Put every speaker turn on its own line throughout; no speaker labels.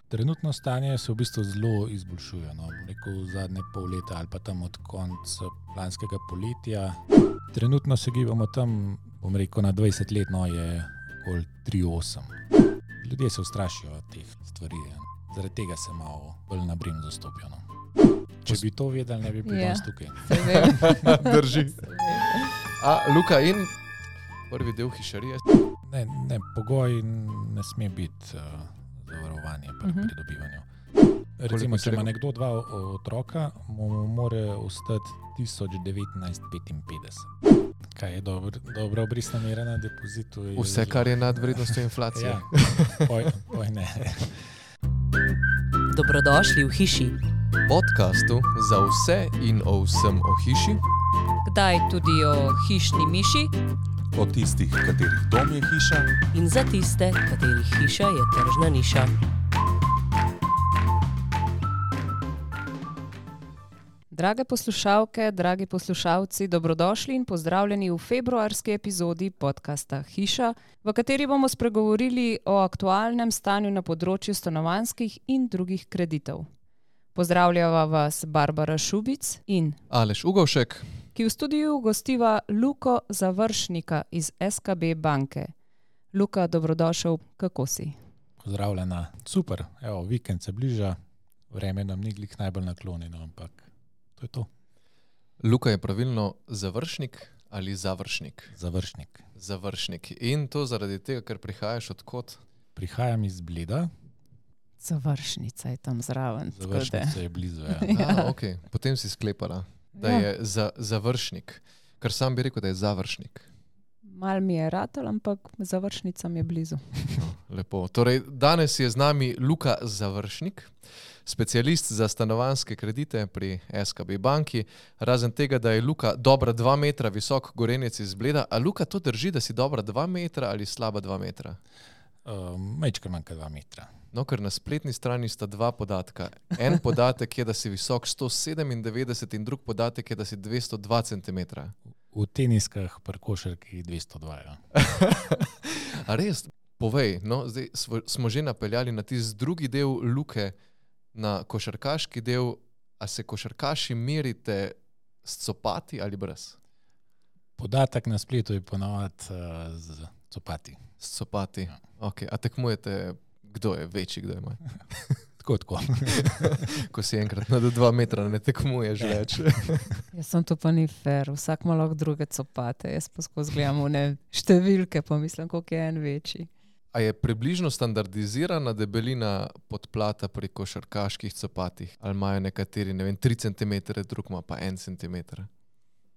Trenutno stanje se v bistvu zelo izboljšuje. No. Rekel zadnje pol leta ali pa tam od konca lanskega poletja. Trenutno se gibamo tam, bom rekel, na 20 let, no, je okoli 3,8. Ljudje se ustrašijo teh stvari. Zaradi tega se malo bolj na bremzo stopijo. No. Če bi to vedeli, ne bi bili danes tukaj.
Drži. Luka, in prvi del hišarije?
Ne, pogoj ne sme biti zavarovanje pri pridobivanju. Recimo, če ima nekdo 2 otroka, mu mora ostati 1955. Kaj je dobra obrestna mera na depozitu?
Vse, kar je nad vrednostjo inflacije.
Ja, poj ne.
Dobrodošli v hiši.
Podcastu za vse in o vsem o hiši.
Kdaj tudi o hišni miši.
O tistih, katerih dom je hiša.
In za tiste, katerih hiša je tržna niša. Drage poslušalke, dragi poslušalci, dobrodošli in pozdravljeni v februarski epizodi podcasta Hiša, v kateri bomo spregovorili o aktualnem stanju na področju stanovanjskih in drugih kreditov. Pozdravljava vas Barbara Šubic in
Aleš Ugovšek,
ki v studiu gostiva Luko Završnika iz SKB banke. Luka, dobrodošel, kako si?
Pozdravljena, super, evo, vikend se bliža, vreme nam ni glih najbolj naklonjeno, ampak to je to.
Luka je pravilno završnik ali završnik?
Završnik.
Završnik. In to zaradi tega, ker prihajaš od kod?
Prihajam iz Bleda.
Završnica je tam zraven.
Završnica je blizu, ja.
Ok, potem si sklepala, da je završnik. Ker sam bi rekel, da je završnik.
Mal mi je ratal, ampak završnica mi je blizu.
Lepo. Torej, danes je z nami Luka Završnik, specialist za stanovanjske kredite pri SKB banki. Razen tega, da je Luka dobra 2 metra visok gorenjec iz Bleda. A Luka, to drži, da si dobra 2 metra ali slaba 2 metra?
Majčkar manjka 2 metra.
No, ker na spletni strani sta 2 podatka. En podatek je, da si visok 197 in drug podatek je, da si 202 cm.
V teniskah pri košarki 202. Ja.
A res? Povej, no, zdaj smo že napeljali na tisti drugi del Luke, na košarkaški del. A se košarkaši merite s copati ali brez?
Podatek na spletu je ponavadi z copati.
S copati,
Ja.
Ok. A tekmujete, kdo je večji, kdo je manj?
Tako.
Ko si enkrat na 2 metra ne tekmuješ več.
Jaz sem to pa ni fair, vsak ima lahko druge copate. Jaz pa skozi gledam številke, pa mislim, koliko je en večji.
A je približno standardizirana debelina podplata pri košarkaških copatih? Ali imajo nekateri, 3 cm, drug ima pa 1 cm?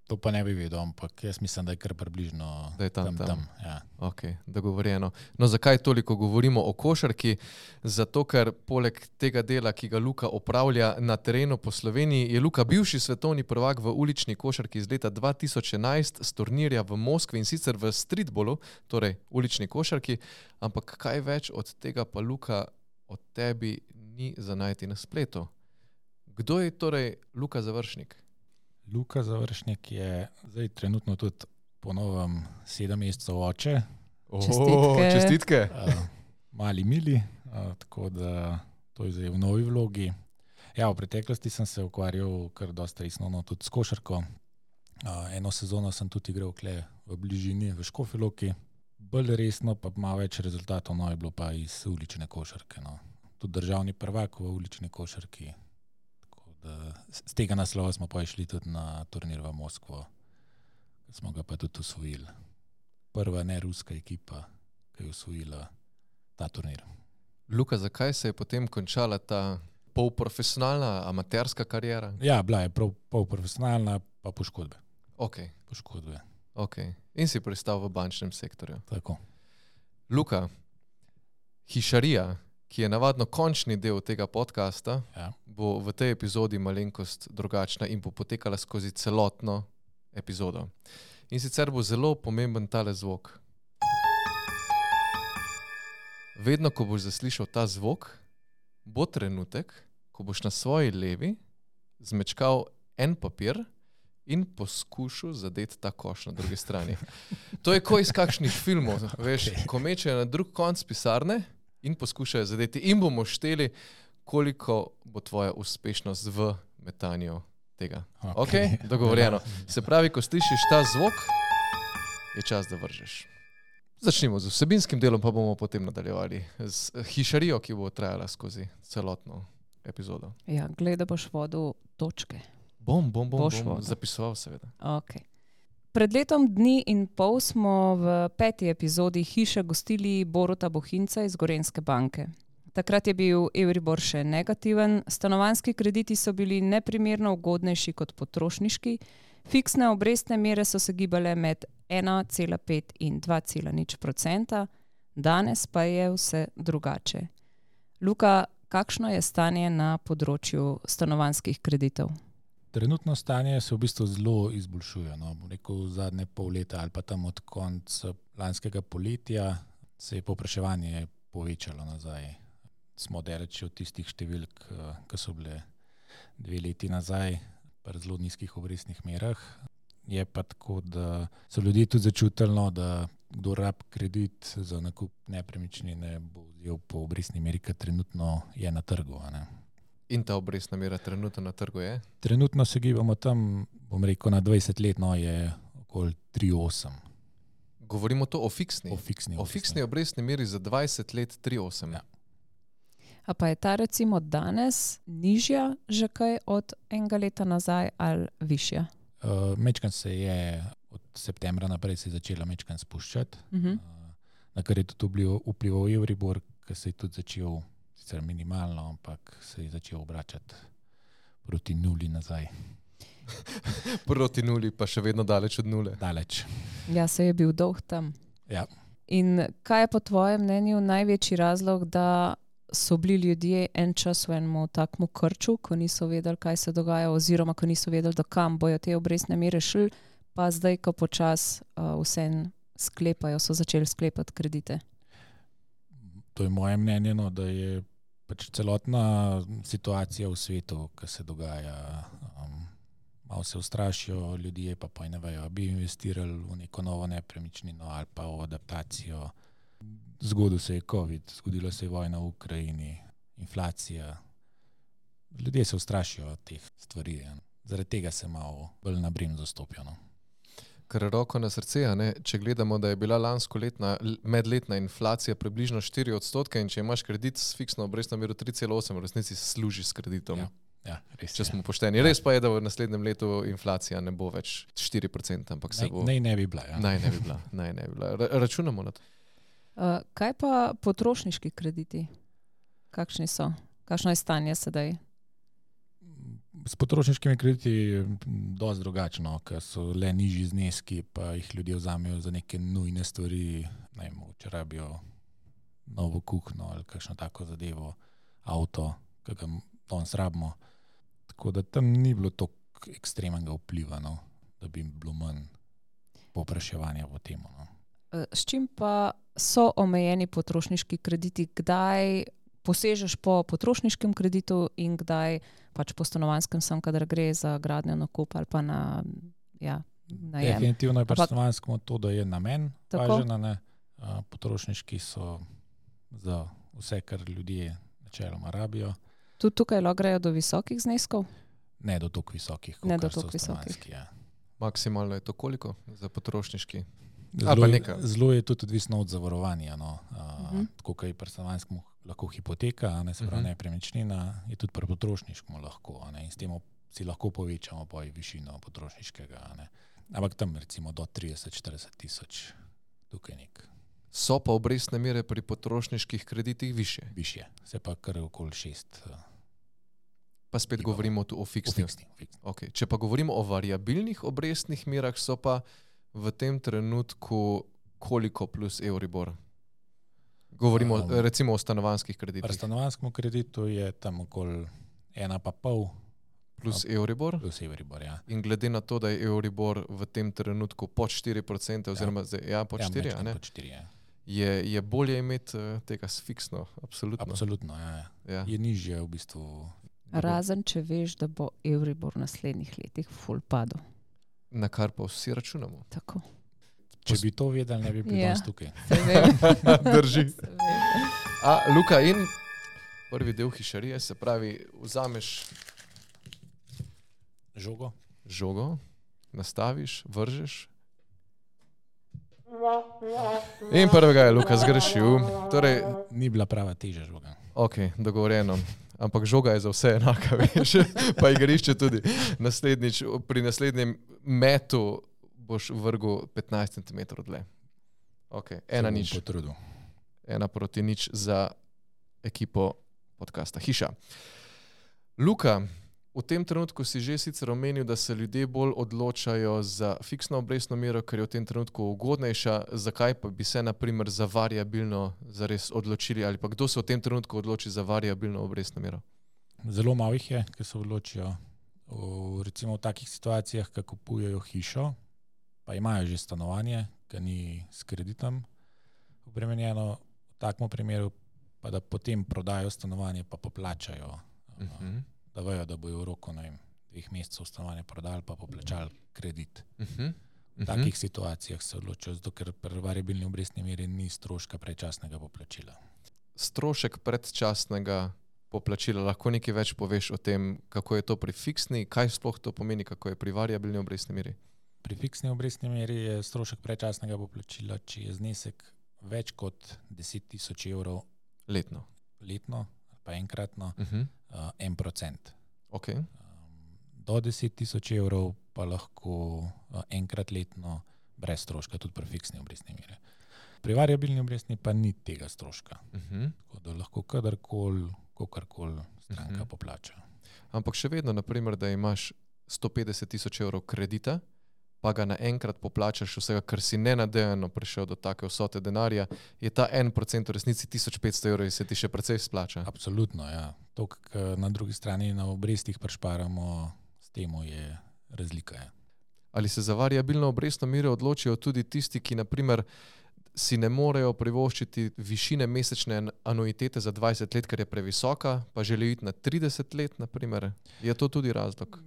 To pa ne bi vedel, ampak jaz mislim, da je kar približno
da je tam.
Ja.
Ok, dogovorjeno. No, zakaj toliko govorimo o košarki? Zato, ker poleg tega dela, ki ga Luka opravlja na terenu po Sloveniji, je Luka bivši svetovni prvak v ulični košarki iz leta 2011 s turnirja v Moskvi in sicer v streetballu, torej ulični košarki. Ampak kaj več od tega pa, Luka, od tebi ni za najti na spletu. Kdo je torej Luka Završnik?
Luka Završnik je zdaj trenutno tudi po novem 7 mesecev oče.
Čestitke.
Mali Mili, tako da to je zdaj v novi vlogi. Ja, v preteklosti sem se ukvarjal kar dosta resno tudi s košarko. Eno sezono sem tudi igral kle v bližini, v Škofji Loki. Bolj resno, pa malo več rezultatov, no, je bilo pa iz ulične košarke. No. Tudi državni prvak v ulični košarki. Z tega naslova smo pa išli tudi na turnir v Moskvo, smo ga pa tudi osvojili. Prva neruska ekipa, ki je osvojila ta turnir.
Luka, zakaj se je potem končala ta polprofesionalna, amaterska kariera?
Ja, bila je polprofesionalna, pa poškodbe.
Ok. In si pristal v bančnem sektorju.
Tako.
Luka, hišarija, ki je navadno končni del tega podcasta,
Ja.
bo v tej epizodi malenkost drugačna in bo potekala skozi celotno epizodo. In sicer bo zelo pomemben tale zvok. Vedno, ko boš zaslišal ta zvok, bo trenutek, ko boš na svoji levi zmečkal en papir in poskušal zadeti ta koš na drugi strani. To je ko iz kakšnih filmov, veš, ko mečejo na drug konc pisarne, in poskušajo zadeti. In bomo šteli, koliko bo tvoja uspešnost v metanju tega. Ok, dogovorjeno. Se pravi, ko slišiš ta zvok, je čas, da vržeš. Začnimo z vsebinskim delom, pa bomo potem nadaljevali z hišarijo, ki bo trajala skozi celotno epizodo.
Ja, gleda boš vodil točke.
Bom zapisoval seveda.
Okay. Pred letom dni in pol smo v 5. epizodi Hiše gostili Boruta Bohinca iz Gorenjske banke. Takrat je bil Euribor še negativen, stanovanjski krediti so bili neprimerno ugodnejši kot potrošniški, fiksne obrestne mere so se gibale med 1,5 in 2,0%, danes pa je vse drugače. Luka, kakšno je stanje na področju stanovanjskih kreditov?
Trenutno stanje se v bistvu zelo izboljšuje. No. Bom rekel, zadnje pol leta ali pa tam od konca lanskega poletja se je povpraševanje povečalo nazaj. Smo daleč od tistih številk, ki so bile 2 leti nazaj, pri zelo nizkih obrestnih merah. Je pa tako, da so ljudje tudi začutili, no, da kdo rab kredit za nakup nepremičnine bo vzel po obrestni meri, ki trenutno je na trgu. Ne.
In ta obrestna mera trenutno na trgu je?
Trenutno se gibamo tam, bom rekel, na 20 let, no, je okoli 3,8.
Govorimo to o fiksni?
O
fiksni obrestni meri za 20 let 3,8.
Ja.
A pa je ta recimo danes nižja že kaj od enega leta nazaj ali višja?
Mečkan se je od septembra naprej se je začela mečkan spuščati, na kar je tudi vplival Euribor, ki se je tudi začel, sicer minimalno, ampak se je začel obračati proti nuli nazaj.
Proti nuli, pa še vedno daleč od nule.
Daleč.
Ja, se je bil dolg tam.
Ja.
In kaj je po tvojem mnenju največji razlog, da so bili ljudje en čas v enem takmu krču, ko niso vedeli, kaj se dogaja, oziroma ko niso vedeli, do kam bojo te obrestne mere šli, pa zdaj, ko počas vseeno sklepajo, so začeli sklepati kredite?
To je moje mnenje, no, da je pač celotna situacija v svetu, ki se dogaja, malo se ustrašijo ljudje, pa ne vejo, bi investirali v neko novo nepremičnino ali pa v adaptacijo. Zgodil se je COVID, zgodila se je vojna v Ukrajini, inflacija. Ljudje se ustrašijo teh stvari. Zaradi tega se malo bolj na bremzo stopijo. No.
Kar roko na srce, ne? Če gledamo, da je bila lansko medletna inflacija približno 4%, in če imaš kredit s fiksno obrestno mero 3,8, v resnici služi s kreditom.
Ja, res,
če smo pošteni. Res pa je, da v naslednjem letu inflacija ne bo več 4%, ampak se bo...
Ne bi bila. Ja.
Naj ne bi bila. Računamo na to.
Kaj pa potrošniški krediti? Kakšni so? Kakšno je stanje sedaj?
S potrošniškimi krediti je dosti drugačno, ker so le nižji zneski, pa jih ljudje vzamejo za neke nujne stvari, ne vem, če rabijo novo kuhno ali kakšno tako zadevo, avto, ki ga danes rabimo. Tako da tam ni bilo toliko ekstremnega vpliva, no, da bi bilo manj povpraševanja po tem. No.
S čim pa so omejeni potrošniški krediti? Kdaj posežeš po potrošniškem kreditu in kdaj pač po stanovanjskem, sem, kadar gre za gradnjo, nakup ali pa na najem?
Definitivno je pač stanovanjsko to, da je namen važen, ne. Potrošniški so za vse, kar ljudje načeloma rabijo.
Tudi tukaj lahko grejo do visokih zneskov?
Ne do toliko visokih,
ne do
so
toliko visokih.
Ja.
Maksimalno je to koliko za potrošniški?
Zelo je tudi odvisno od zavarovanja. No. Tako, kot je pri stanovanjskem lahko hipoteka, ne, se pravi nepremičnina, je tudi pri potrošniškem lahko. Ne, in s tem si lahko povečamo višino potrošniškega. Ne. Ampak tam recimo do 30-40 tisoč tukaj nek.
So pa obrestne mere pri potrošniških kreditih više?
Višje, se pa kar okoli 6.
Pa spet govorimo tu o fiksnih. Okay. Če pa govorimo o variabilnih obrestnih merah, so pa v tem trenutku koliko plus Euribor? Govorimo recimo o stanovanjskih kreditih.
Pri stanovanjskem kreditu je tam okoli 1,5
plus Euribor.
Plus Euribor, ja.
In glede na to, da je Euribor v tem trenutku pod 4%, oziroma pod 4%,
ne? Pod 4, ja.
Je bolje imeti tega s fiksno, absolutno.
Absolutno, ja. Je nižje v bistvu.
Razen, če veš, da bo Euribor v naslednjih letih ful padel.
Na kar pa vsi računamo.
Tako.
Če bi to vedeli, ne bi bili danes tukaj.
Se vem.
Drži. Luka, in prvi del hišarije, se pravi, vzameš žogo, nastaviš, vržeš. In prvega je Luka zgrešil. Torej,
Ni bila prava teža žoga.
ok, dogovorjeno. Ampak žoga je za vse enaka, veš, pa igrišče tudi. Pri naslednjem metu boš vrgel 15 cm dlje. Ok, 1-0.
Potrudil.
1-0 za ekipo podcasta Hiša. Luka, v tem trenutku si že sicer omenil, da se ljudje bolj odločajo za fiksno obrestno mero, ker je v tem trenutku ugodnejša. Zakaj pa bi se na primer za variabilno zares odločili, ali pa kdo se v tem trenutku odloči za variabilno obrestno mero?
Zelo malo jih je, ki se odločijo. Recimo v takih situacijah, ko kupujejo hišo, pa imajo že stanovanje, ki ni s kreditom obremenjeno, v takem primeru pa da potem prodajo stanovanje, pa poplačajo. Da vejo, da bojo v roku 2 mesecev stanovanje prodali, pa poplačali kredit. V takih situacijah se odločijo, zato ker pri variabilni obrestni meri ni stroška predčasnega poplačila.
Strošek predčasnega poplačila, lahko nekaj več poveš o tem, kako je to pri fiksni, kaj sploh to pomeni, kako je pri variabilni obrestni meri?
Pri fiksni obrestni meri je strošek predčasnega poplačila, če je znesek več kot 10 tisoč evrov
letno,
pa enkratno, 1%.
Okay.
Do 10 tisoč evrov pa lahko enkrat letno brez stroška, tudi pri fiksni obrestni meri. Pri variabilni obrestni pa ni tega stroška. Tako da lahko kadarkoli stranka poplača.
Ampak še vedno, naprimer, da imaš 150 tisoč evrov kredita, pa ga naenkrat poplačaš vsega, ker si nenadejano prišel do take vsote denarja, je ta 1% v resnici 1500 evrov in se ti še precej splača.
Absolutno, ja. To, kar na drugi strani na obrestih prišparamo, s temu je razlika. Ja.
Ali se za variabilno obrestno mero odločijo tudi tisti, ki naprimer si ne morejo privoščiti višine mesečne anuitete za 20 let, ker je previsoka, pa želijo iti na 30 let, naprimer? Je to tudi razlog?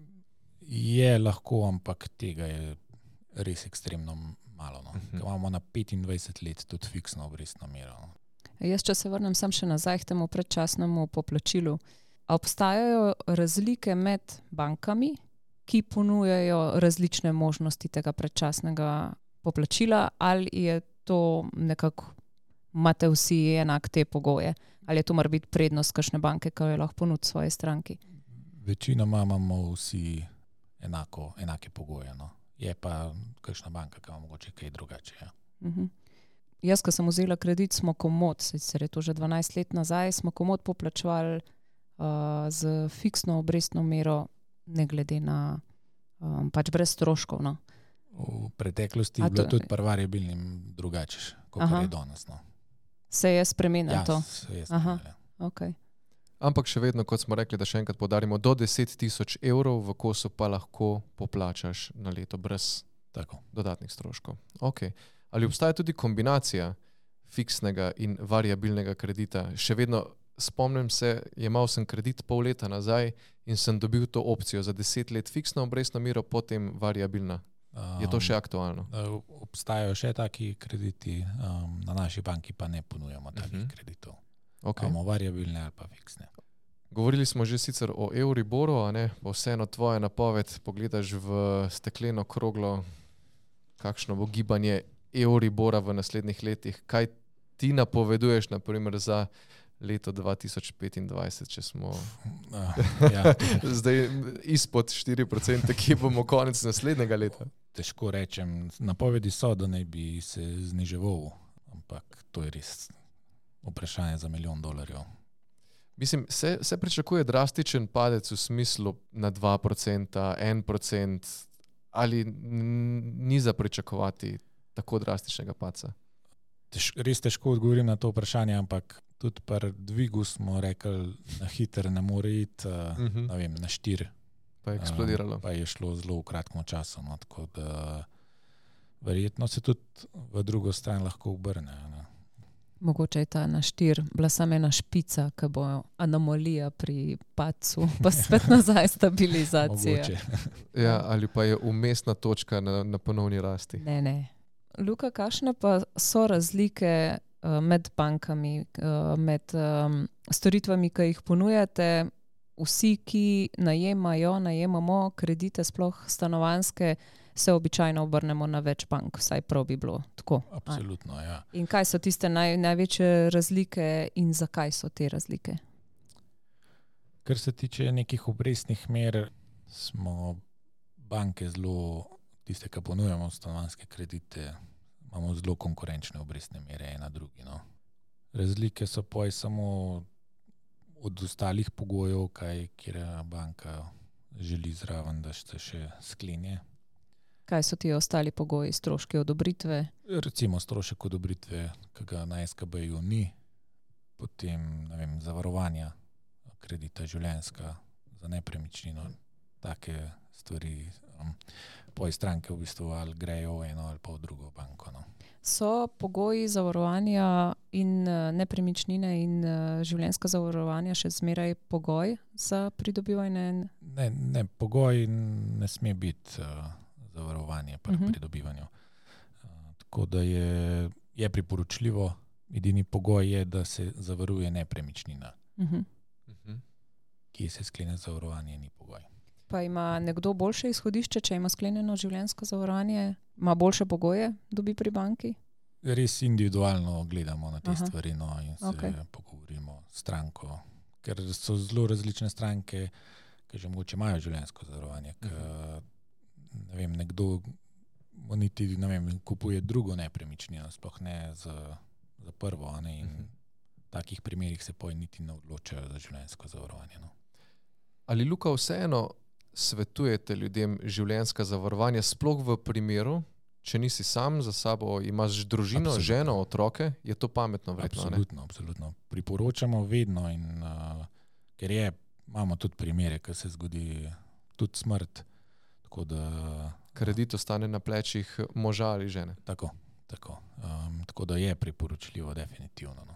Je lahko, ampak tega je res ekstremno malo. No. Imamo na 25 let tudi fiksno obrestno mero. No.
Jaz, če se vrnem sam še nazaj k temu predčasnemu poplačilu. Obstajajo razlike med bankami, ki ponujajo različne možnosti tega predčasnega poplačila, ali je to nekako, imate vsi enak te pogoje, ali je to mora biti prednost kakšne banke, ki jo lahko ponudi svoji stranki?
Večinoma imamo vsi enake pogoje. No. Je pa kakšna banka, ki ima mogoče kaj drugače. Ja.
Jaz, ko sem vzela kredit, smo komod, sicer je to že 12 let nazaj, smo komod poplačevali z fiksno obrestno mero, ne glede na pač brez stroškov. No.
V preteklosti je bilo tudi pri variabilnim drugače, kot je danes. No.
Se je spremenilo to?
Se je spremenilo.
Okay.
Ampak še vedno, kot smo rekli, da še enkrat poudarimo, do 10 tisoč evrov v kosu pa lahko poplačaš na leto brez dodatnih stroškov. Okay. Ali obstaja tudi kombinacija fiksnega in variabilnega kredita? Še vedno spomnim se, jemal sem kredit pol leta nazaj in sem dobil to opcijo za 10 let fiksno obrestno mero, potem variabilna. Je to še aktualno?
Obstajajo še taki krediti, na naši banki pa ne ponujamo takih kreditov.
Okay.
Imamo variabilne ali pa fiksne.
Govorili smo že sicer o Euriboru, a ne? Pa vseeno tvoja napoved, pogledaš v stekleno kroglo, kakšno bo gibanje Euribora v naslednjih letih. Kaj ti napoveduješ, na primer, za leto 2025, če smo zdaj izpod 4%, ki bomo konec naslednjega leta?
Težko rečem. Napovedi so, da naj bi se zniževal, ampak to je res vprašanje za $1 milijon.
Mislim, se pričakuje drastičen padec v smislu na 2%, 1%, ali ni za pričakovati tako drastičnega padca?
Res težko odgovorim na to vprašanje, ampak tudi pri dvigu smo rekli, na hiter ne more iti, ne vem, na 4.
Pa je eksplodiralo.
Pa je šlo zelo v kratkem času. No, tako da verjetno se tudi v drugo stran lahko obrne. Ne.
Mogoče je ta na 4 bila samo ena špica, ki bo anomalija pri padcu, pa spet nazaj stabilizacija.
Ja, ali pa je umestna točka na ponovni rasti.
Ne. Luka, kakšne pa so razlike med bankami, med storitvami, ki jih ponujate. Vsi, ki najemamo kredite, sploh stanovanjske, se običajno obrnemo na več bank, vsaj prav bi bilo tako.
Absolutno, ja.
In kaj so tiste največje razlike in zakaj so te razlike?
Kar se tiče nekih obrestnih mer, smo banke zelo, tiste, ki ponujamo stanovanjske kredite, imamo zelo konkurenčne obrestne mere ena drugi. No. Razlike so pa samo od ostalih pogojev, kjer banka želi zraven, da se še sklenje.
Kaj so ti ostali pogoji, stroški odobritve?
Recimo strošek odobritve, ki ga na SKB-ju ni, potem zavarovanja kredita življenjska za nepremičnino, take stvari. Poje stranke v bistvu ali grejo v eno ali pa v drugo banko. No.
So pogoji zavarovanja in nepremičnine in življenjska zavarovanja še zmeraj pogoj za pridobivanje?
Ne, pogoj ne sme biti zavarovanje pri pridobivanju. Tako da je priporočljivo, edini pogoj je, da se zavaruje nepremičnina. Kje se sklene zavarovanje, ni pogoj.
Pa ima nekdo boljše izhodišče, če ima sklenjeno življenjsko zavarovanje? Ima boljše pogoje, dobi pri banki?
Res individualno gledamo na te stvari in se pogovorimo s stranko, ker so zelo različne stranke, ki že mogoče imajo življenjsko zavarovanje. Nekdo niti kupuje drugo nepremičnino, sploh ne za prvo. In v takih primerih se niti ne odločajo za življenjsko zavarovanje. No.
Ali, Luka, vseeno svetujete ljudem življenjska zavarovanja, sploh v primeru, če nisi sam za sabo, imaš družino, ženo, otroke, je to pametno vredno?
Absolutno. Priporočamo vedno, ker imamo tudi primere, ko se zgodi tudi smrt.
Kredit ostane na plečih moža ali žene.
Tako. Tako da je priporočljivo, definitivno. No.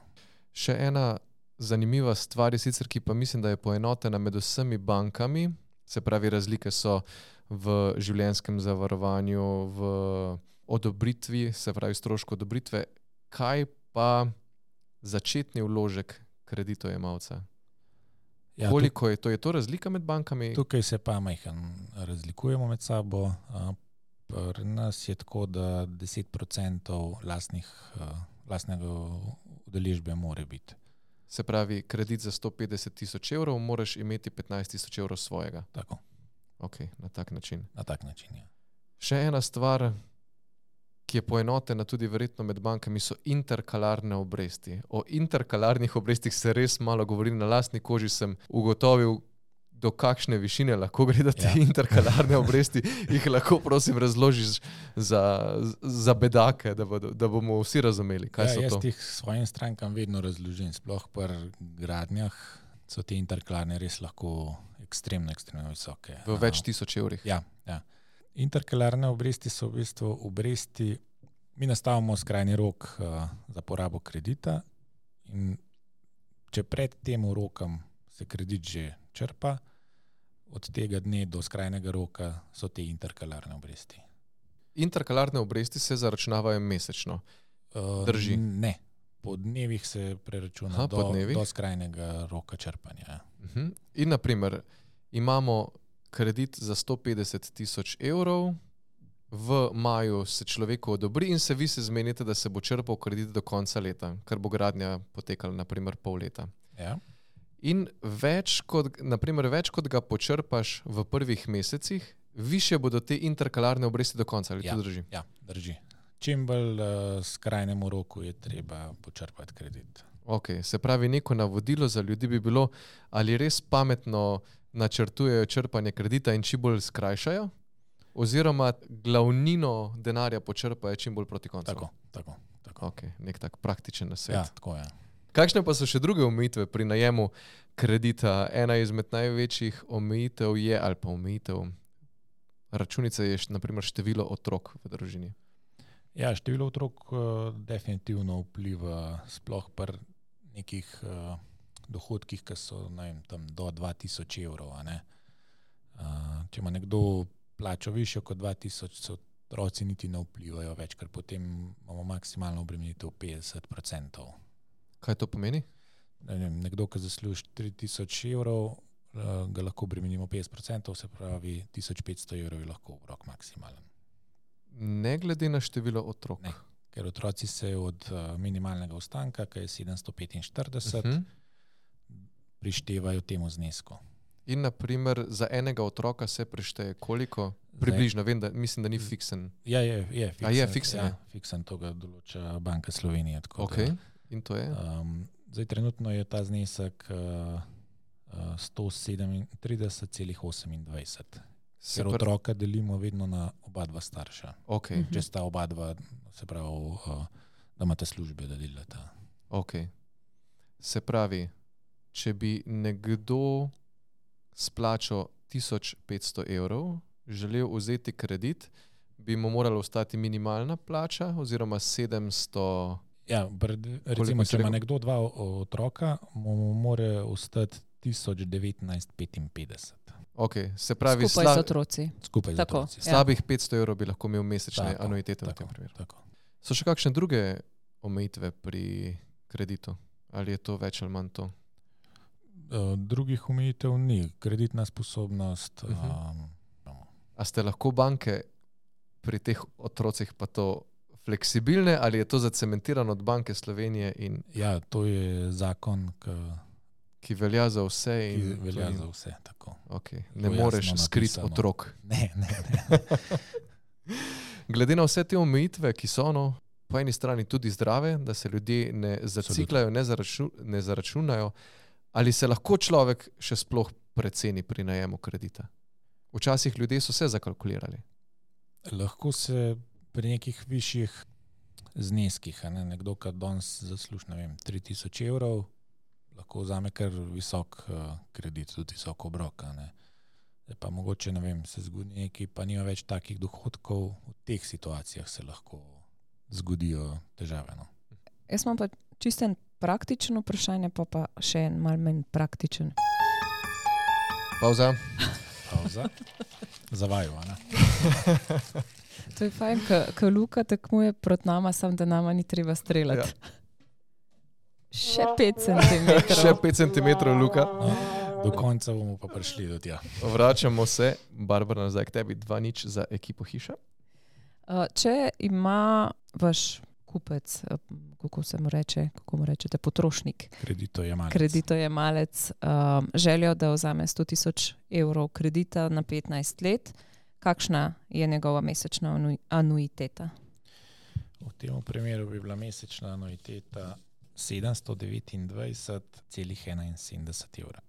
Še ena zanimiva stvar je sicer, ki pa mislim, da je poenotena med vsemi bankami, se pravi, razlike so v življenjskem zavarovanju, v odobritvi, se pravi strošku odobritve. Kaj pa začetni vložek kreditojemalca? Ja, koliko je to? Je to razlika med bankami?
Tukaj se pa majhen razlikujemo med sabo. Pri nas je tako, da 10% lastnega udeležbe more biti.
Se pravi, kredit za 150 tisoč evrov, moraš imeti 15 tisoč evrov svojega.
Tako.
Ok, na tak način.
Na tak način, ja.
Še ena stvar, ki je poenotena tudi verjetno med bankami, so interkalarne obresti. O interkalarnih obrestih se res malo govori, na lastni koži sem ugotovil, do kakšne višine lahko gre da te interkalarne obresti, jih lahko prosim razložiš za bedake, da bomo vsi razumeli, kaj so to.
Jaz tih svojim strankam vedno razložim, sploh pri gradnjah so te interkalarne res lahko ekstremno visoke.
V več tisoč evrih.
Ja. Interkalarne obresti so v bistvu obresti, mi nastavimo skrajni rok za porabo kredita in če pred tem rokom se kredit že črpa, od tega dne do skrajnega roka so te interkalarne obresti.
Interkalarne obresti se zaračunavajo mesečno. Drži?
Ne. Po dnevih se preračuna do skrajnega roka črpanja.
In naprimer, imamo kredit za 150 tisoč evrov, v maju se človeku odobri in vi se zmenite, da se bo črpal kredit do konca leta, ker bo gradnja potekala naprimer pol leta.
Ja.
In več kot ga počrpaš v prvih mesecih, više bodo te interkalarne obresti do konca. Ali to drži?
Ja, drži. Čim bolj skrajnemu roku je treba počrpati kredit.
Ok, se pravi, neko navodilo za ljudi bi bilo, ali res pametno načrtujejo črpanje kredita in čim bolj skrajšajo, oziroma glavnino denarja počrpajo čim bolj proti koncu.
Tako.
Ok, nek tak praktičen nasvet.
Ja, tako je.
Kakšne pa so še druge omejitve pri najemu kredita? Ena izmed največjih omejitev je, ali pa omejitev računice je naprimer število otrok v družini.
Ja, število otrok definitivno vpliva, sploh pri nekih dohodkih, ki so tam do 2000 evrov. Če ima nekdo plačo višjo kot 2000, so otroci niti ne vplivajo več, ker potem imamo maksimalno obremenitev 50%.
Kaj to pomeni?
Nekdo, ki zasluži 3000 evrov, ga lahko obremenimo 50%, se pravi 1500 evrov je lahko obrok maksimalen.
Ne glede na število otrok.
Ne, ker otroci se od minimalnega ostanka, ki je 745, prištevajo temu znesku.
In naprimer za enega otroka se prišteje koliko? Približno, vem, da mislim, da ni fiksen.
Ja, je fiksen.
A je fiksen?
Ja, fiksen, to ga določa Banka Slovenije.
Ok, in to je?
Zdaj trenutno je ta znesek 137,28. Ker otroka delimo vedno na oba dva starša.
Okay.
Če sta oba dva, se pravi, da imate službe, da delata.
Ok. Se pravi, če bi nekdo splačal 1500 evrov, želel vzeti kredit, bi mu morala ostati minimalna plača oziroma 700.
Ja, recimo, če ima nekdo dva otroka, mu mora ostati 1955.
Okay, se pravi,
skupaj z otroci.
Skupaj z otroci.
Slabih 500 evrov bi lahko imel mesečne anuitete v tem primeru.
Tako.
So še kakšne druge omejitve pri kreditu? Ali je to več ali manj to?
Drugih omejitev ni. Kreditna sposobnost.
A ste lahko banke pri teh otrocih pa to fleksibilne ali je to zacementirano od Banke Slovenije?
Ja, to je zakon,
ki velja za vse.
Ki velja za vse, tako.
Okay. Ne moreš skriti otrok.
Ne.
Glede na vse te omejitve, ki so po eni strani tudi zdrave, da se ljudje ne zaciklajo, ne zaračunajo, ali se lahko človek še sploh preceni pri najemu kredita? Včasih ljudje so se zakalkulirali.
Lahko se pri nekih višjih zneskih, nekdo, ki danes zasluži 3000 evrov, lahko vzame kar visok kredit, tudi visok obrok. Pa mogoče, se zgodi nekaj, pa nima več takih dohodkov, v teh situacijah se lahko zgodijo težave.
Jaz imam pa čisten praktičen vprašanje, pa še en malo manj praktičen.
Pauza.
Zavaju,
To je fajn, ko Luka tekmuje proti nama, sam da nama ni treba streljati. Ja. Še 5 centimetrov.
Še 5 centimetrov, Luka.
Do konca bomo pa prišli do tja.
Vračamo se, Barbara, nazaj k tebi, 2-0 za ekipo Hiša.
Če ima vaš kupec, kako mu rečete, potrošnik, kreditojemalec, željo, da vzame 100 000 evrov kredita na 15 let, kakšna je njegova mesečna anuiteta?
V tem primeru bi bila mesečna anuiteta 729,71 evra.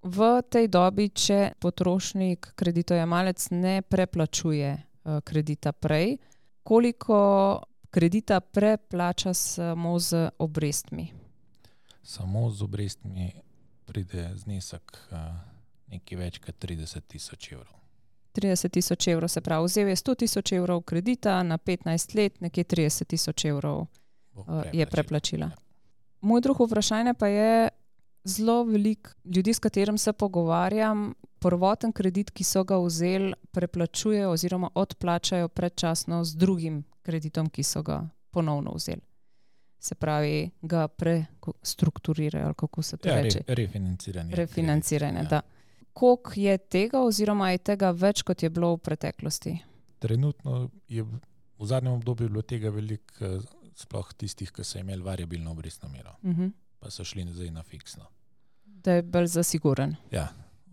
V tej dobi, če potrošnik, kreditojemalec ne preplačuje kredita prej, koliko kredita preplača samo z obrestmi?
Samo z obrestmi pride znesek nekaj več kot 30 000 evrov.
30 000 evrov, se pravi, vzel je 100 000 evrov kredita na 15 let, nekje 30 000 evrov je preplačila. Moj drugo vprašanje pa je, zelo veliko ljudi, s katerim se pogovarjam, prvoten kredit, ki so ga vzeli, preplačujejo oziroma odplačajo predčasno z drugim kreditom, ki so ga ponovno vzeli. Se pravi, ga prestrukturirajo, ali kako se to reče? Refinanciranje, da. Koliko je tega oziroma je tega več, kot je bilo v preteklosti?
Trenutno je v zadnjem obdobju bilo tega veliko, sploh tistih, ki so imeli variabilno obrestno mero, pa so šli zdaj na fiksno.
Da je bolj zasiguren.
Ja,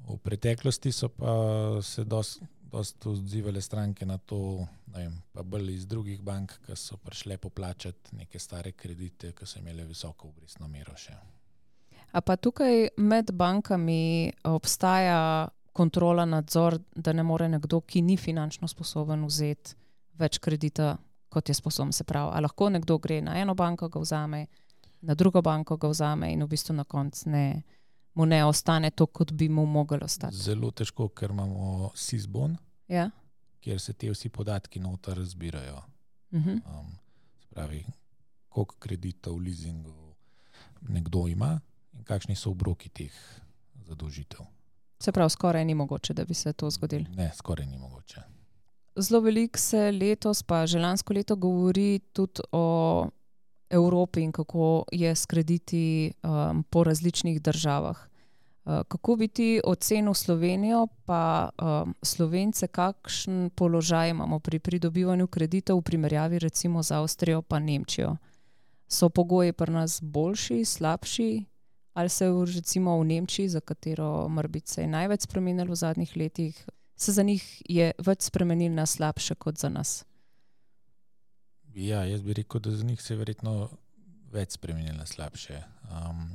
v preteklosti so pa se dosti odzivale stranke na to, pa bolj iz drugih bank, ki so prišle poplačati neke stare kredite, ki so imeli visoko obrestno mero še.
A pa tukaj med bankami obstaja kontrola, nadzor, da ne more nekdo, ki ni finančno sposoben vzeti več kredita, kot je sposoben, se pravi. A lahko nekdo gre na eno banko, ga vzame, na drugo banko ga vzame in v bistvu na koncu mu ne ostane to, kot bi mu moglo ostati.
Zelo težko, ker imamo SIS-bon,
ja,
kjer se te vsi podatki noter zbirajo. Se pravi, koliko kreditov v leasingu nekdo ima in kakšni so obroki teh zadolžitev.
Se pravi, skoraj ni mogoče, da bi se to zgodilo.
Ne, skoraj ni mogoče.
zelo veliko se letos, pa že lansko leto govori tudi o Evropi in kako je s krediti po različnih državah. Kako bi ti ocenil Slovenijo, pa Slovence, kakšen položaj imamo pri pridobivanju kreditov v primerjavi recimo z Avstrijo pa Nemčijo? So pogoji pri nas boljši, slabši, ali se recimo v Nemčiji, za katero morbit se je največ spremenilo v zadnjih letih, se za njih je več spremenil na slabše kot za nas?
Ja, jaz bi rekel, da za njih se je verjetno več spremenil na slabše.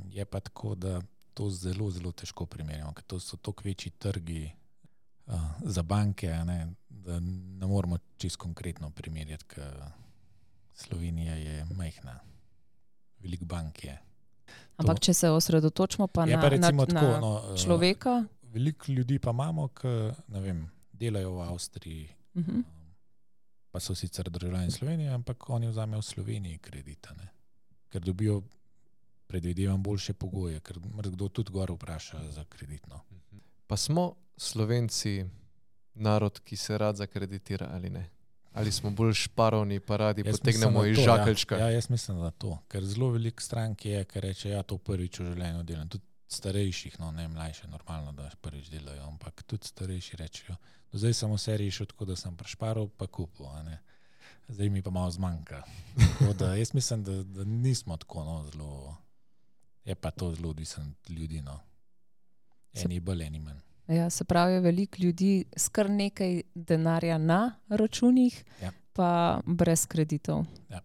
Je pa tako, da to zelo, zelo težko primerjamo, ker to so toliko večji trgi za banke, da ne moramo čisto konkretno primerjati, ker Slovenija je majhna. Veliko bank je.
Ampak če se osredotočimo pa na človeka?
Veliko ljudi pa imamo, ki delajo v Avstriji, pa so sicer državljani Slovenije, ampak oni vzamejo v Sloveniji kredita, ker dobijo, predvidevam, boljše pogoje, ker kdo tudi gor vpraša za kreditno.
Pa smo Slovenci narod, ki se rad zakreditira ali ne? Ali smo bolj šparovni, pa radi potegnemo iz žakeljčka?
Ja, jaz mislim, da to. Ker zelo veliko strank je, ker reče, ja, to prvič v življenju delam. Tudi starejših, ne mlajše, normalno, da prvič delajo, ampak tudi starejši rečejo. Do zdaj sem vse rešil tako, da sem prešparal, pa kupil. Zdaj mi pa malo zmanjka. Tako da jaz mislim, da nismo tako zelo. Je pa to zelo odvisno od ljudi. Eni bolj, eni manj.
Ja, se pravi, veliko ljudi s kar nekaj denarja na računih, pa brez kreditov.
Ja.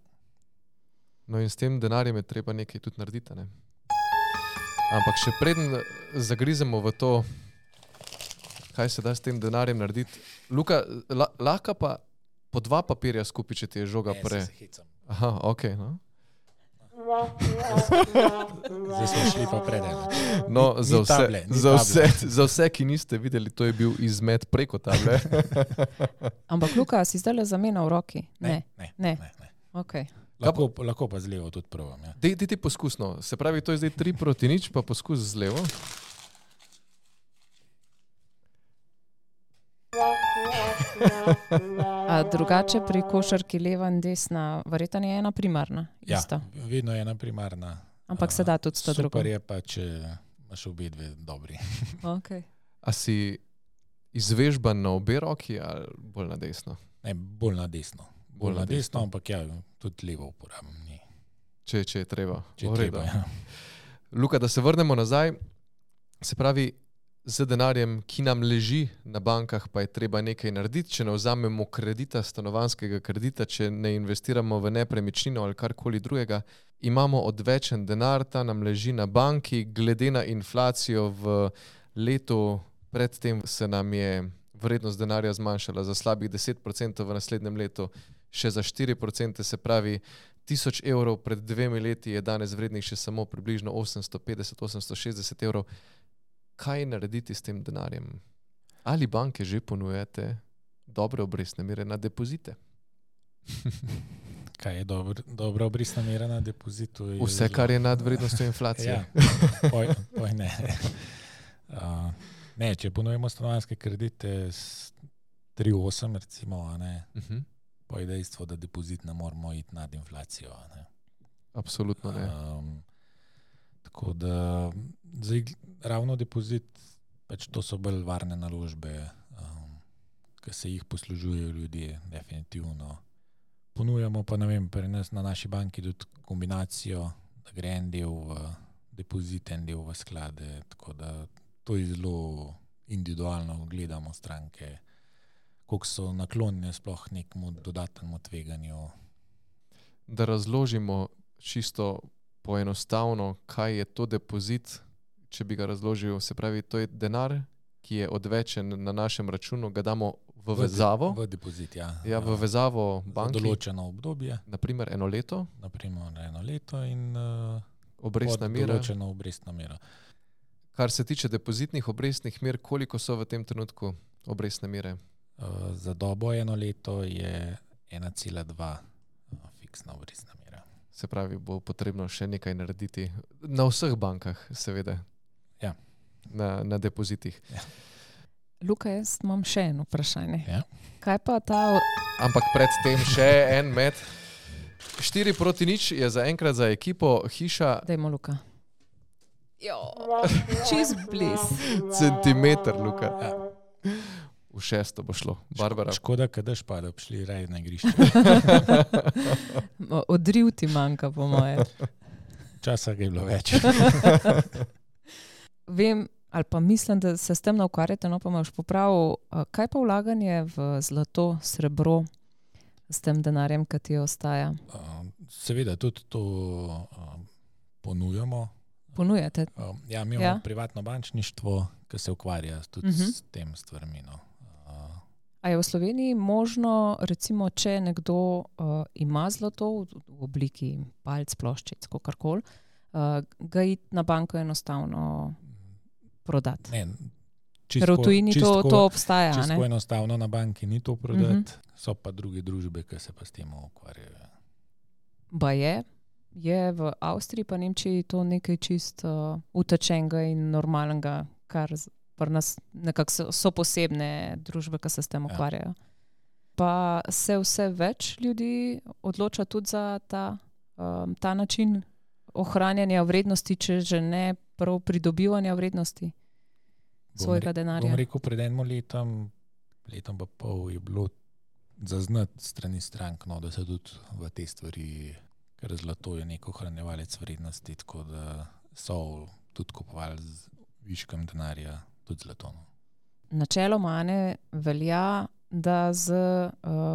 No in s tem denarjem je treba nekaj tudi narediti, ne? Ampak še preden zagrizemo v to, kaj se da s tem denarjem narediti. Luka, lahko pa po 2 papirja skupaj, če ti je žoga pre...
Se hecam.
Aha, okej, no.
Zdaj smo šli pa predaleč.
No, za vse, ki niste videli, to je bil izmet preko table.
Ampak Luka, si zdaj le zamenjal v roki?
Ne.
Okay.
Lahko pa z levo tudi provam. Ja.
Dej ti poskusno. Se pravi, to je zdaj 3-0, pa poskus z levo.
A drugače pri košarki leva in desna, verjetno je ena primarna? Ista.
Ja, vedno je ena primarna.
Ampak se da tudi sta druga.
Super je pa, če imaš obe dve dobri.
Okay.
A si izvežban na obe roki ali bolj na desno?
Ne, bolj na desno. Bolj na desno, ampak ja, tudi levo uporabim.
Če je treba.
Če je treba, ja.
Luka, da se vrnemo nazaj, se pravi, z denarjem, ki nam leži na bankah, pa je treba nekaj narediti, če ne vzamemo kredita, stanovanjskega kredita, če ne investiramo v nepremičnino ali karkoli drugega, imamo odvečen denar, ta nam leži na banki, glede na inflacijo v letu predtem se nam je vrednost denarja zmanjšala za slabih 10%, v naslednjem letu še za 4%, se pravi 1000 evrov pred 2 leti je danes vrednih še samo približno 850-860 evrov. Kaj narediti s tem denarjem? Ali banke že ponujate dobre obrestne mere na depozite?
Kaj je dobra obrestna mera na depozitu?
Vse, kar je nad vrednostjo inflacije.
Ja, poj ne. Ne, če ponujemo stanovanjske kredite s 3,8 recimo, pa je dejstvo, da depozit ne moramo iti nad inflacijo.
Absolutno ne.
Tako da zdaj ravno depozit, pač to so bolj varne naložbe, ki se jih poslužujejo ljudje, definitivno. Ponujamo pa, pri nas na naši banki tudi kombinacijo, da gre en del v depozit, en del v sklade, tako da to je zelo individualno, gledamo stranke, koliko so naklonjene sploh nekemu dodatnemu tveganju.
Da razložimo čisto poenostavno, kaj je to depozit, če bi ga razložil, se pravi, to je denar, ki je odvečen na našem računu, ga damo v vezavo.
V depozit, ja.
Ja, v vezavo banki.
Za določeno obdobje.
Naprimer 1 leto.
Naprimer 1 leto in
obrestna mera.
Določeno obrestna mera.
Kar se tiče depozitnih obrestnih mer, koliko so v tem trenutku obrestne mere?
Za dobo 1 leto je 1,2 fiksna obrestna mera.
Se pravi, bo potrebno še nekaj narediti na vseh bankah, seveda.
Ja.
Na depozitih.
Ja.
Luka, jaz imam še eno vprašanje.
Ja.
Kaj pa ta...
Ampak predtem še en met. 4-0 je zaenkrat za ekipo Hiša.
Dajmo, Luka. Jo, čist bliz.
Centimeter, Luka. Ja. V 6. bo šlo. Barbara.
Škoda, kadaš pa, da bi šli raje na igrišče.
Odriv ti manjka, po moje.
Časa ga je bilo več.
Vem, ali pa mislim, da se s tem ne ukvarjate, no pa me boš popravil. Kaj pa vlaganje v zlato, srebro s tem denarjem, ki ti ostaja?
Seveda tudi to ponujamo.
Ponujate?
Ja, mi imamo privatno bančništvo, ki se ukvarja tudi s tem stvarmi. No.
A je v Sloveniji možno, recimo, če nekdo ima zlato v obliki palc, ploščic, kakorkoli, ga iti na banko enostavno prodati?
Ne,
ker v tujini to obstaja.
Čisto enostavno na banki ni to prodati, so pa druge družbe, ki se pa s tem ukvarjajo.
Ba je v Avstriji pa Nemčiji to nekaj čist utečenega in normalnega, kar pri nas nekako so posebne družbe, ki se s tem ukvarjajo. Pa se vse več ljudi odloča tudi za ta način ohranjanja vrednosti, če že ne prav pridobivanja vrednosti svojega denarja.
Bom rekel, pred enim letom pa pol je bilo zaznati strani strank, no, da se tudi v te stvari, ker zlato je nek ohranjevalec vrednosti, tako da so tudi kupovali z viškom denarja tudi zlato.
Načeloma velja, da z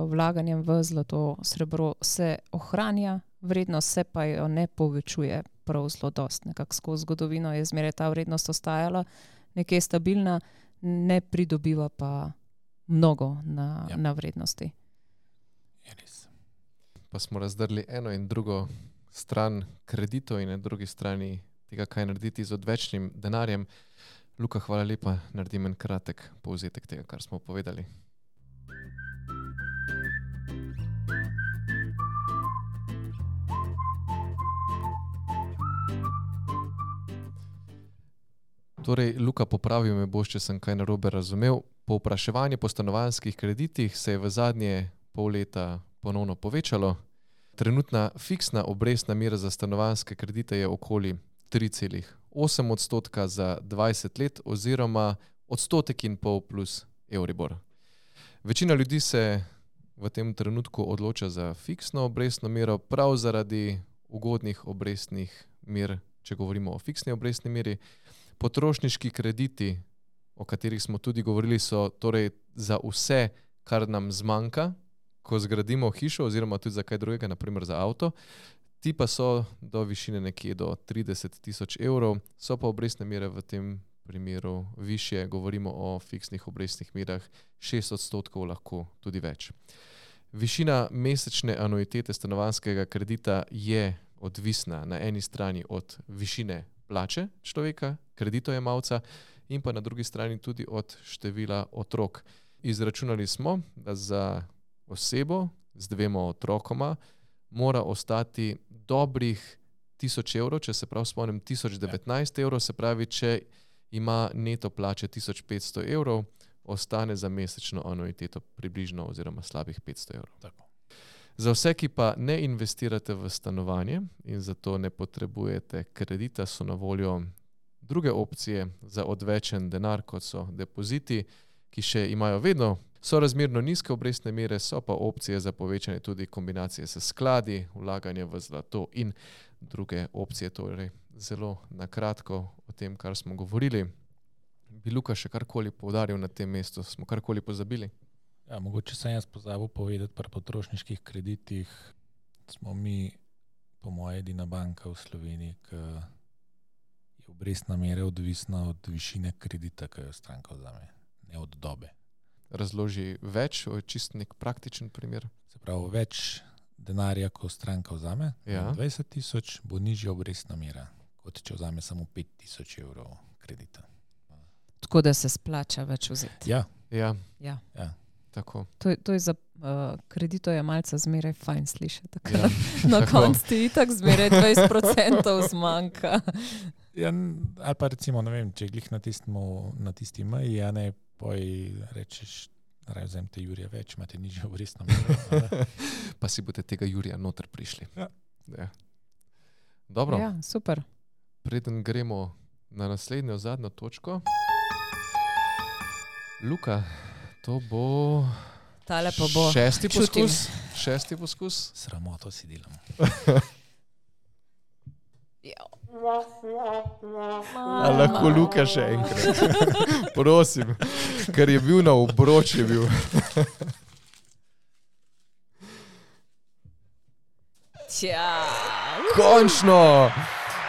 vlaganjem v zlato, srebro se ohranja vrednost, se pa jo ne povečuje prav zelo dosti. Nekako skozi zgodovino je zmeraj ta vrednost ostajala nekje stabilna, ne pridobiva pa mnogo na vrednosti.
Je res.
Pa smo razdrli eno in drugo stran kreditov in na drugi strani tega, kaj narediti z odvečnim denarjem. Luka, hvala lepa, naredim en kratek povzetek tega, kar smo povedali. Torej, Luka, popravil me boš, če sem kaj narobe razumel. Povpraševanje po stanovanjskih kreditih se je v zadnje pol leta ponovno povečalo. Trenutna fiksna obrestna mera za stanovanjske kredite je okoli 3,8% za 20 let oziroma 1,5% plus Euribor. Večina ljudi se v tem trenutku odloča za fiksno obrestno mero prav zaradi ugodnih obrestnih mer, če govorimo o fiksni obrestni meri. Potrošniški krediti, o katerih smo tudi govorili, so torej za vse, kar nam zmanjka, ko zgradimo hišo oziroma tudi za kaj drugega, naprimer za avto. Ti pa so do višine nekje do 30.000 evrov, so pa obrestne mere v tem primeru višje, govorimo o fiksnih obrestnih merah 6%, lahko tudi več. Višina mesečne anuitete stanovanjskega kredita je odvisna na eni strani od višine plače človeka, kreditojemalca, in pa na drugi strani tudi od števila otrok. Izračunali smo, da za osebo z 2 otrokoma mora ostati dobrih 1000 evrov, če se prav spomnim, 1019 evrov, se pravi, če ima neto plače 1500 evrov, ostane za mesečno anuiteto približno oziroma slabih 500 evrov.
Tako.
Za vse, ki pa ne investirate v stanovanje in zato ne potrebujete kredita, so na voljo druge opcije za odvečen denar, kot so depoziti, ki še imajo vedno sorazmerno nizke obrestne mere, so pa opcije za povečanje tudi kombinacije s skladi, vlaganje v zlato in druge opcije. Torej, zelo na kratko o tem, kar smo govorili. Bi Luka še karkoli poudaril na tem mestu? Smo karkoli pozabili?
Ja, mogoče sem jaz pozabil povedati, pri potrošniških kreditih smo mi, po moje, edina banka v Sloveniji, ki je obrestna mera odvisna od višine kredita, ki jo stranka vzame, ne od dobe.
Razloži več, čist nek praktičen primer.
Se pravi, več denarja, ko stranka vzame, 20.000, bo nižja obrestna mera, kot če vzame samo 5.000 evrov kredita.
Tako da se splača več vzeti.
Ja. Tako.
To je za kreditojemalca zmeraj fajn slišati. Na koncu ti itak zmeraj 20% zmanjka.
Ja, ali pa recimo, ne vem, če glih na tisti meji, a ne, poj rečeš, raje vzem te Jurija več, imate nižjo obrestno mero.
Pa si boste tega Jurija noter prišli.
Ja.
Ja. Dobro,
Ja, super.
preden gremo na naslednjo, zadnjo točko. Luka, to bo
Tale pa bo. Čutim.
Šesti poskus.
Sramoto si delam.
A lahko Luka še enkrat? Prosim, ker je bil na obroč, je bil.
Tja.
Končno!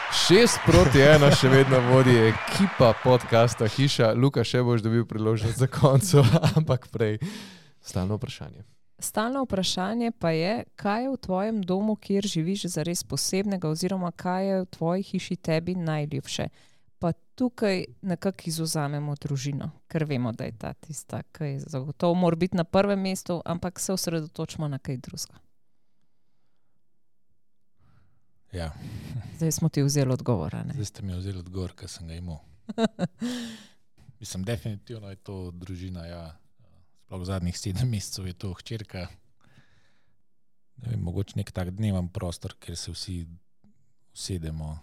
6-1 še vedno vodi ekipa podcasta Hiša. Luka, še boš dobil priložnost za konco, ampak prej stalno vprašanje.
Stalno vprašanje pa je, kaj je v tvojem domu, kjer živiš, zares posebnega, oziroma kaj je v tvoji hiši tebi najljubše. Pa tukaj nekako izvzamemo družino, ker vemo, da je ta tista, ki je zagotovo mora biti na prvem mestu, ampak se osredotočimo na kaj drugega.
Ja,
Zdaj smo ti vzeli odgovor, a ne?
zdaj ste mi vzeli odgovor, ker sem ga imel. Mislim, definitivno je to družina, ja. Sploh v zadnjih 7 mesecev je to hčerka. Ne vem, mogoče nek tak dneven prostor, kjer se vsi usedemo,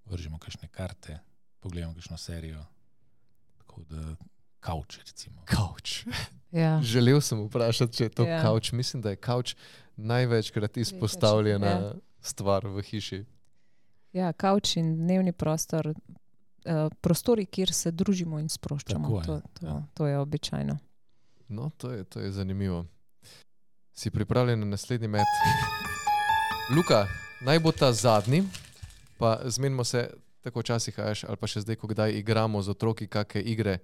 vržemo kakšne karte, pogledamo kakšno serijo. Tako da kavč, recimo.
Kavč.
Ja.
Želel sem vprašati, če je to
Ja.
kavč. Mislim, da je kavč največkrat izpostavljena
Ja.
stvar v hiši.
Ja, kavč in dnevni prostor, prostori, kjer se družimo in sproščamo.
Tako je, ja.
To je običajno.
No, to je zanimivo. Si pripravljen na naslednji met? Luka, naj bo ta zadnji, pa zmenimo se tako včasih, ali pa še zdaj, ko kdaj igramo z otroki kakšne igre.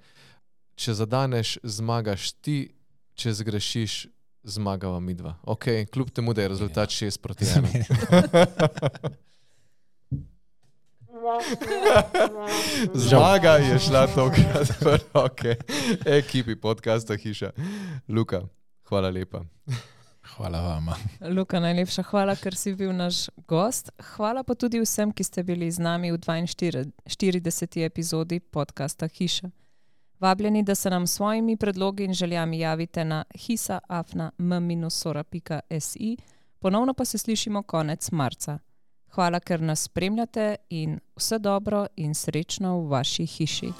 Če zadaneš, zmagaš ti, če zgrešiš, zmagava midva. Ok, kljub temu, da je rezultat 6-1. Zmaga je šla tokrat v roke ekipi podcasta Hiša. Luka, hvala lepa.
Hvala vama.
Luka, najlepša hvala, ker si bil naš gost. Hvala pa tudi vsem, ki ste bili z nami v 42. epizodi podcasta Hiša. Vabljeni, da se nam s svojimi predlogi in željami javite na hisa@m-sora.si. Ponovno pa se slišimo konec marca. Hvala, ker nas spremljate in vse dobro in srečno v vaši hiši.